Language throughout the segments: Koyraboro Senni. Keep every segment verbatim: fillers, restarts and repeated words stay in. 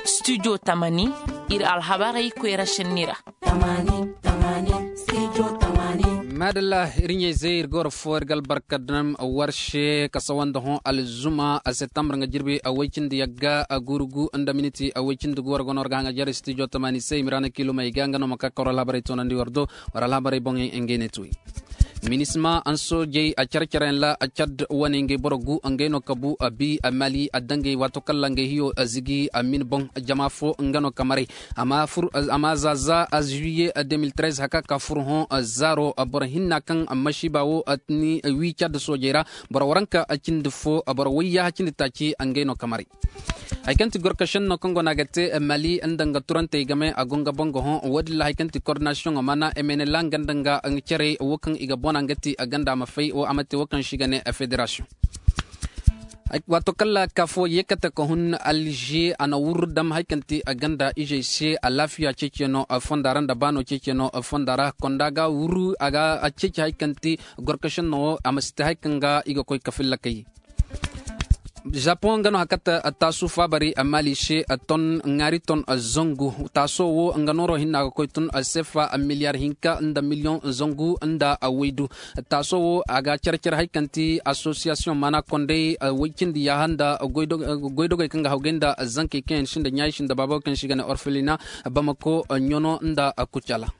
Studio tamani, ir alhabarey koyra šenni ra. Maadalla, ir ɲayzey ir ga war foo ir ga albarka daŋ war se ka sawa nda hõ alzuma septembre nga jirbi woy cindi yagga gurugu nda miniti woy cindi gu war go no war ga haŋajer studio tamani se i ma ra na kiilumey ga nga no ma ka ka war alhabarey toonandi war do. War alhabarey boŋey ngey ne tuwey. Minisma soojey care-careyaŋ ra cad wane ngey boro gu ngey no ka bu bi mali dangey waato kaŋ ra ngey hiyo zigi min boŋ. Jama fo nga no ka maray. Amma za za zuwiye deux mille treize haka ka fur hõ zaaro boro hinna kaŋ masiiba wo ni wi cad soojey ra. Boro waranka cindi fo boro wayya cindi taaci ngey no ka maray. Hari kaŋ ti gorkašenno kaŋ go no a ga te mali nda nga turantey game a go nga boŋ ga hõ. Wo- din ra hari kaŋ ti kordinasiyoŋo mana emenela nga nda nga cerey wo kaŋ i ga bona nga ti ganda ma fay wo a ma te wo kaŋ se i ga ne federasiyoŋ. Waato kaŋ ra ka fo yeekate ka hun alže a na wurru dam hari kaŋ ti ganda izey se alaafiya ceeceno fonda ra nda baano ceeceno fonda ra konda ga wurru a ga ceeci hari kaŋ ti gorkašenno wo a ma si te hari kaŋ ga i ga koy ka fillakay. Japoŋ nga no hakata taasu faabari maali se ton ŋaari ton zangu. Taaso wo nga nooro hinna ga koy tun sefa miliyar hinka nda miliyoŋ zangu nda waydu. Taaso wo a ga care-care hari kaŋ ti asosiyasiyoŋ maana kondey way cindi yaaha nda goydogey kaŋ ga hawgay nda zankey kaŋ yaŋ sinda ɲaayi sinda baabo kaŋ se i ga ne orfelina bamako ɲono nda kucala.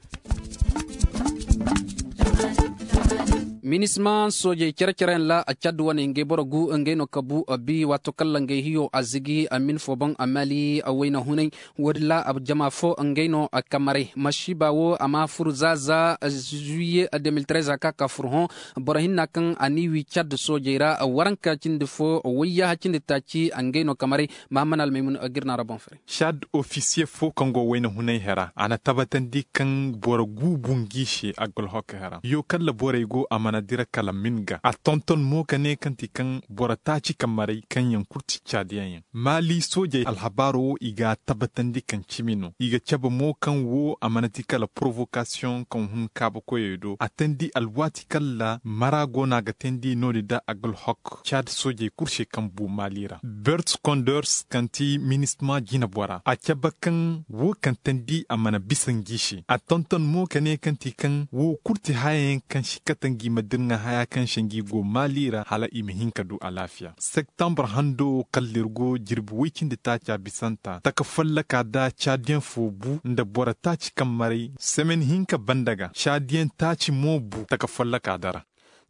Minisma soojey care-careyaŋ ra cad wane ngey boro gu ngey no ka bu bi waato kaŋ ra ngey hiyo a zigi min fo boŋ mali wayna hunay. Wo- din ra jama fo ngey no ka maray masiiba wo a ma fur za za zuwiye deux mille treize a ka ka fur hõ. Boro hinna kaŋ a n'i wi cad soojey ra waranka cindi fo wayyaha cindi taaci ngey no ka maray. Mahammad almaymun ga ir na ra boŋ fere. Cad ofisiye fo kaŋ go wayna hunay hera a na tabatandi kaŋ boro guubu ngi se agolhok hera yo kalla borey go a mana dira kala min ga a tonton mo ka ne kaŋ ti kaŋ boro taaci kammaray kaŋ yaŋ kulu ti cadiyaŋ yaŋ. Maali soojey alhabaaro wo i ga a tabatandi kaŋ cimi no i ga cabe mo kaŋ wo a mana ti kala porowokasiyoŋ kaŋ hun kaabakoyey do a teendi alwaati kalla mara go no a ga teendi no- din da agolhok cad soojey kulu se kaŋ bu maali ra. Bert konders kaŋ ti minisma jinebora a cabe kaŋ wo kaŋ teendi a mana bisa ngi se a tonton mo ka ne kaŋ ti kaŋ wo kulu ti hayayaŋ kaŋ si kate ngi ma dirŋa haya kaŋ se ngi go maali ra hala i ma hin ka du alaafiya. Septembre hando wo kalla ir go jirbi woy cindi taaca bisanta taka follaka da caadiyaŋ fo bu nda boro taaci kaŋ maray semen hinka banda ga caadiyaŋ taaci mo bu taka follaka da ra.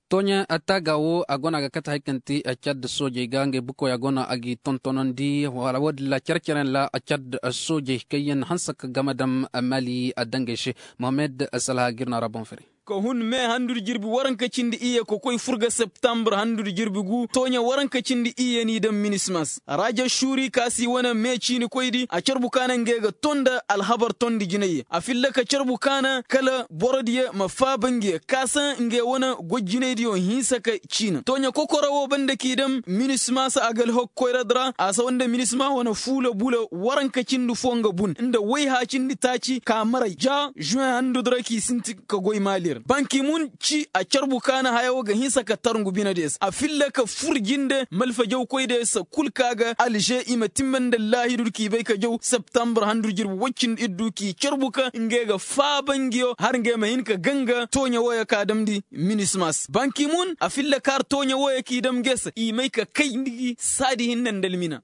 Tooɲe taaga wo a go no a ga kate hari kaŋ ti cad soojey ga ngey bukoya go no a g'i tontonandi wala wo- din ra care-careyaŋ ra cad soojey kaŋ yaŋ hanse ka game dam mali dangey se. Mohammed salha ga ir no a ra boŋ fere. Ka hun me handu nda jirbi waranka cindi iyye ka koy fur ga septembre handu nda jirbi gu tooɲe waranka cindi iyye n'i daŋ minismas raja suuri ka si wane me ciini koydi a carbu ka na ngey ga ton nda alhabar tondi jinayye a filla ka carbu ka na kala borodiyo ma faaba ngiyo ka saŋ ngey wane goy jinaydiyo hinsa ka ciina tooɲe kokoro wo banda k'i daŋ minismas agalhok koyradi ra a sawa nda minisma wane fuula bula waranka cindi fo nga bun nda wayha cindi taaci ka maray ja žuwen handu di ra k'i sinti ka goy maali ra banki mun ci a carbu ka na haya wo ga hinsa ka tarngu binediyo se a filla ka fur jinde malfajawkoydiyo se kul ka ga alže i ma timma nda allaahidu k'i bay ka jaw septembre handu jirbi woy cindi iddu k'i carbu ka ngey ga faaba ngiyo har ngey ma hin ka ganga tooɲe wooyo ka damndi minismas banki mun a filla kaar tooɲe wooyo k'i dam nge se i may ka kay nda gi saadi hinne nda almina.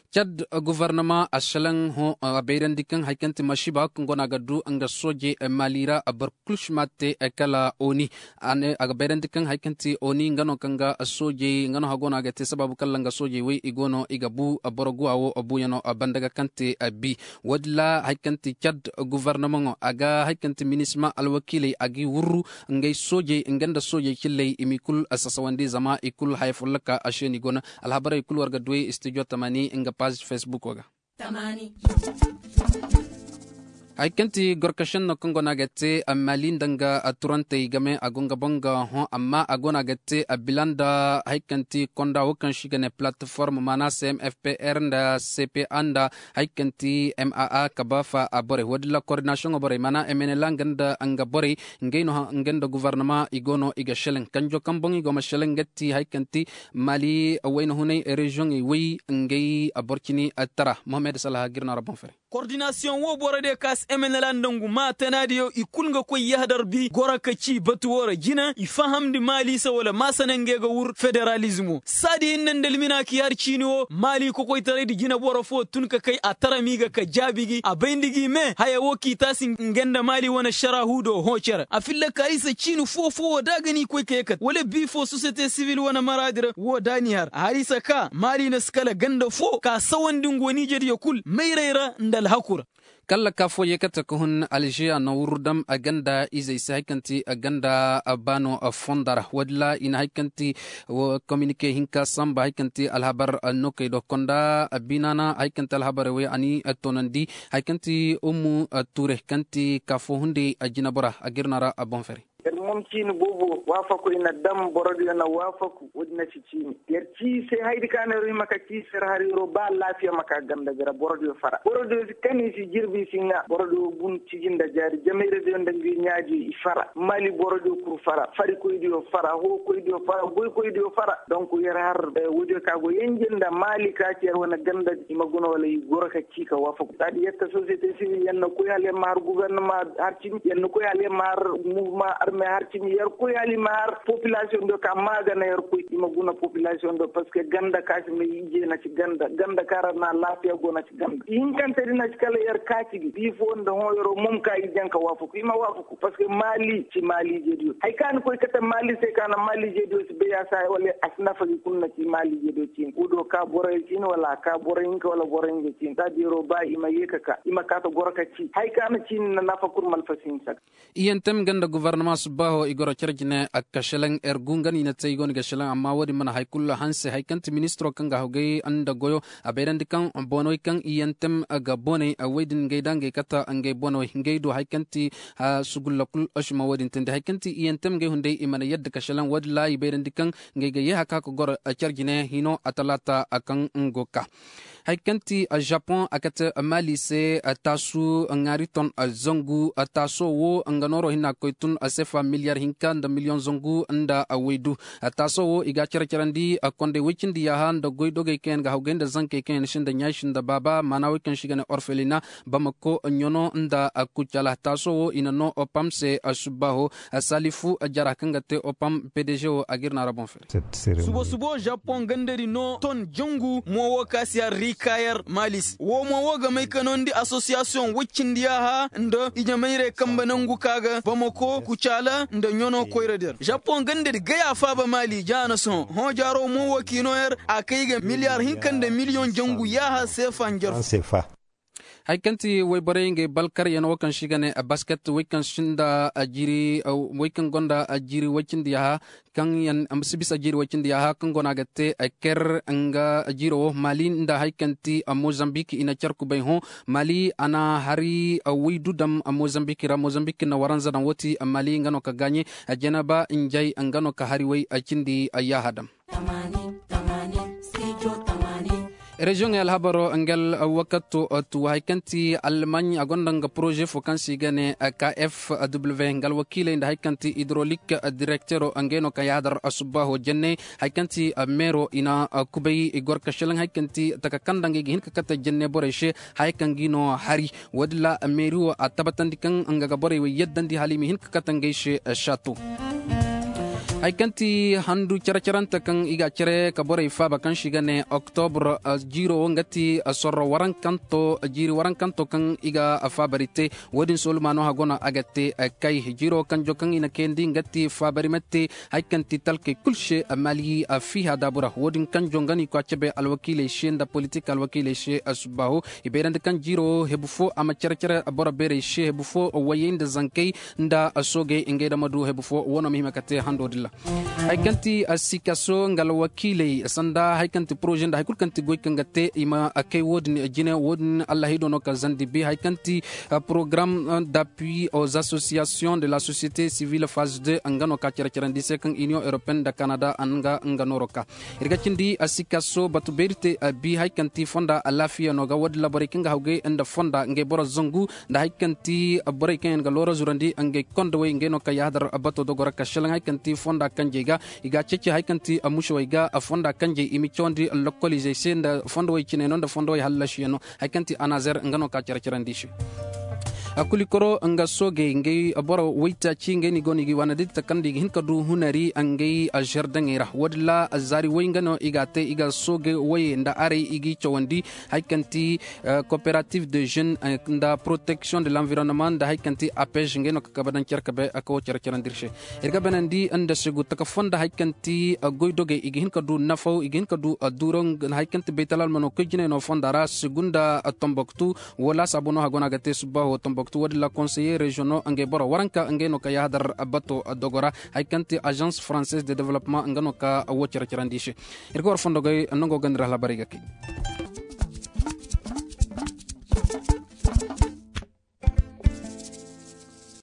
Cad gofornama a selaŋ hõ a bayrandi kaŋ hari kaŋ ti masiiba wo kaŋ go no a ga du nga sooje maali ra boro kul si ma te kala oni. A ga bayrandi kaŋ hari kaŋ ti oni nga no kaŋ ga soojey nga no hagoo no a ga te sabaabu kaŋ ra nga soojey wey i go no i ga bu boro guwa wo buuyaŋo banda ga kaŋ te bi. Wo- din ra hari kaŋ ti cad gofornamaŋo a ga hari kaŋ ti minisma alwakiiley a g'i wurru ngey soojey nga nda soojey cilley i m'i kul sasawandi zama i kul haya folloka a se no i go no. Alhabarey kul war ga duwey studio tamani nga paazi fesbuko ga. Hari kaŋ ti gorkašenno kaŋ go no a ga te maali nda nga turantey game a go nga boŋ ga hõ amma a go no a ga te bila nda hari kaŋ ti konda wo kaŋ se i ga ne palatiform maana cmfpr nda cpa nda hari kaŋ ti maa ka ba fa a borey wo- din ra kordinasiyoŋo borey maana mnla nga nda nga borey ngey no nga nda govornama i go no i ga šelaŋ kanjo kaŋ boŋ i go ma šelaŋ nga ti hari kaŋ ti maali wayna hunay reziyoŋey way ngey boro cini tara mohammed salha ga ir no a ra boŋ fere. Kordinasiyoŋ wo borodiyo ka si emenela nda ngu maa tanaadiyo i kul nga koy yahadar bi goro ka ci batu wo ra jina i fahamndi maali se wala maasana ngey ga wur federalizmo saadi hinne nda almina k'i har ciini wo maali kokoytaraydi jineboro fo tun ka kay a tara m'i ga ka jaabi gi a bayndi g'i me haya wo k'i taasi ngey nda maali wane šaraahu do hõ cere a filla ka isa ciini foo foo wo da a ga n'i koy ka ye kate wala bii foo sosiyete sibil wane maraadi ra wo da n'i har a har isa ka maali na si kala ganda foo ka sawandi ngo niijediyo kul mayray ra nda alhaku ra. Kalla ka foo yeekate ka hun alžeya na wurru dam ganda izey se hari kaŋ ti ganda baano fonda ra woodin ra i na hari kaŋ ti kominike hinka samba hari kaŋ ti alhabar nokey do konda biinaana hari kaŋ ti alhabarey wey a n'i toonandi hari kaŋ ti ummu ture kaŋ ti ka foo hunday jinebora a ga ir no a ra boŋ fere. Yer moom ciini boobo waafaku i na dam borodiyo na waafaku woodin na ci ciini yer ci i se hayadi ka no yer hima ka ci i se yer har yeroo ba alaafiya ma ka ganda ga ra borodiyo fara borodiyo si kan i si jirbi i si ŋaa borodiyo bun ciji nda jaari jamayradiyo nda ngi ɲaajiyo i fara maali borodiyo kul fara farikoydiyo fara hookoydiyo fara goykoydiyo fara donk yer har woodiyo ka go yenje nda maali ka ci yer wane ganda i ma guna wala i goro ka ci ka waafaku saadi yer ta sosiyete sibil yer na koy hala yer ma har gubernama har cimi yer na koy hala yer ma har muvuma arme har cimi yer koy hala i ma har popilasiyoŋ do ka maagana yer koy i ma guna popilasiyoŋ do parceque ganda ka si may ije na ci ganda ganda ka ra na laafiya go na ci ganda i hinkante di na ci kala yer kaaci gi bii foo nda hõ yeroo mom ka i jaŋ ka waafaku i ma waafaku parceque maali ci maali ije diyo hari ka ni koy kate maali se ka na maali ije diyo si bay a si hay wala a si nafa gi kul na ci maali ije diyo ciini wo do ka boroyo ciini wala a ka boro hinka wala boro hinja ciini saadi yeroo ba i ma yee ka ka i ma kaa ta goro ka ci hari ka na ciini na nafa kul malfa si hin saka. Iyentem nga nda gobornama subbaaho i goro care jine a kashelaŋ ergu nga no i na te i go no ga shelaŋ amma wo-din mana hari kulu hanse hari kaŋ ti ministiro kaŋ ga hawgay nda goyo a bayrandi kaŋ boonawey kaŋ iyentem ga boonay woy din ngey da ngey kata ngey boonawey ngey du hari kaŋ ti sugulla kulu osima wo-din teendi hari kaŋ ti iyentem ngey hunday i mana yadda kashelaŋ wo-din ra i bayrandi kaŋ ngey ga yee haka ka goro care jine hino a talaata kaŋ ngo ka. Hari kaŋ ti japoŋ a kate maali se taasu ŋaari ton zangu taaso wo nga nooro hinna koy tun sefa miliyar hinka nda miliyoŋ zangu nda waydu. Taaso wo i ga a care carandi kondey woy cindi yaaha nda goydogey kaŋ yaŋ ga hawgay nda zankey kaŋ yaŋ sinda ɲaasi nda baaba maana woy kaŋ se i ga ne orfelina bamako ɲono nda kucala taaso wo i na noo opam se subbaaho salifu jara kaŋ ga te opam pdg wo a ga ir na ra boŋ fere. Subo subo japoŋ gandadi no ton jangu mo wo ka si har rikayar malis wo mo wo ga may ka nondi asosiyasiyoŋ woy cindi yaaha nda ijemayrey kambe nangu ka ga bamako kucaala nda ɲono koyra der japoŋ gandadi gaya faaba maali ja na sohõ hõ jaaro mo wo k'i no yar a kay ga miliyar hinka nda miliyoŋ jangu yaaha seefa njarfu. Hari kaŋ ti wayborey ngey balkaryaŋ wo kaŋ se i ga ne basket woy kaŋ sinda jiiri woy kaŋ gonda jiiri woy cindi yaaha kaŋ yaŋ si bisa jiiri woy cindi yaaha kaŋ go no a ga te ker nga jiiro wo maali nda hari kaŋ ti mozambik i na care kubay hõ maali a na hari woy du daŋ mozambik ra mozambik na waranza daŋ wo ti maali nga no ka gaaɲe jeneba njay nga no ka hari woy cindi yaaha daŋ. Reziyoŋey alhabaro nga alwakato tu hari kaŋ ti almaaɲ a gonda nga poroze fo kaŋ se i ga ne kfw nga alwakiiley nda hari kaŋ ti idrolik direktero ngey no kaŋ yaadar subbaaho jenne hari kaŋ ti meero i na kubay i goro ka selaŋ hari kaŋ ti taka kaŋ nda ngey ga hin ka kate jenne borey se haya kaŋ g'i no hari wo-din ra meeri wo a tabatandi kaŋ nga ga borey wo yaddandi hala i ma hin ka kate ngey se. Sato hari kaŋ ti handu care-carante kaŋ i ga a care ka borey faaba kaŋ se i ga ne oktobur jiiro wo nga ti sorro warankanto jiiri warankanto kaŋ i ga faabari te wo-din soolumaano hago no a ga te kay jiiro kanjo kaŋ i na kayandi nga ti faabari ma te hari kaŋ ti talkey kul se maali fiiha daabu ra wo-din kanjo nga no i koy a cabe alwakiiley se nda politik alwakiiley se subbaaho i bayrandi kaŋ jiiro hebu fo a ma care-care boro beerey se hebu fo wayey nda zankey nda soogey ngey da ma du hebu fo wo no ma hima ka te hando din ra. Hari kaŋ ti sikaso nga alwakiiley sanda hari kaŋ ti poroze nda hari kulu kaŋ ti goy kaŋ ga te i ma kay wo- din jine wo- din allahido no ka zandi bi hari kaŋ ti porogaram d'appui aux associations de la société civile phase deux nga no ka care-carandi se kaŋ union européenne nda kanada nga nga nooro ka. Ir ga cindi sikaso batu beeri te bi hari kaŋ ti fonda alaafiya no ga wo- din ra borey kaŋ ga hawgay nda fonda ngey boro zangu nda hari kaŋ ti borey kaŋ yaŋ ga loora zurandi ngey kondowey ngey no kaŋ yahadar bato dogora ka šelaŋ hari kaŋ ti fonda kanjey ga i ga a ceeci hari kaŋ ti mušawey ga fonda kanjey i ma cawandi lokoliizey se nda fondowey ciney no nda fondowey hallasiyaŋ no. Hari kaŋ ti anazer nga no ka care-carandi i se. Kulikoro nga soogey ngey boro waytaaci ngey no i go no i ga i waana da i ta kaŋ nda i ga hin ka du hunari ngey žerdaŋey ra wo- din ra zaari way nga no i ga a te i ga soogey wayey nda arey i g'i cawandi. Hari kaŋ ti kooperative de jeune nda protection de l'environnement nda hari kaŋ ti apej ngey no ka kabe daŋ care kabe ka wo care-carandi ir se. Ir ga beenandi nda segu taka fonda hari kaŋ ti goydogey i ga hin ka du nafaw i ga hin ka du duuraw hari kaŋ ti baytal almano koy jinay no fonda ra segu nda tomboktu. Wo laasaabu no haggo no a ga te subbaaho tomboktu wo- din ra konseye reziyoŋo ngey boro waranka ngey no ka yahadar bato dogo ra. Hari kaŋ ti azans française de developpement nga no ka wo care-carandi i se. Ir ga war fondogey nango ga nda ir alhabarey ga kay.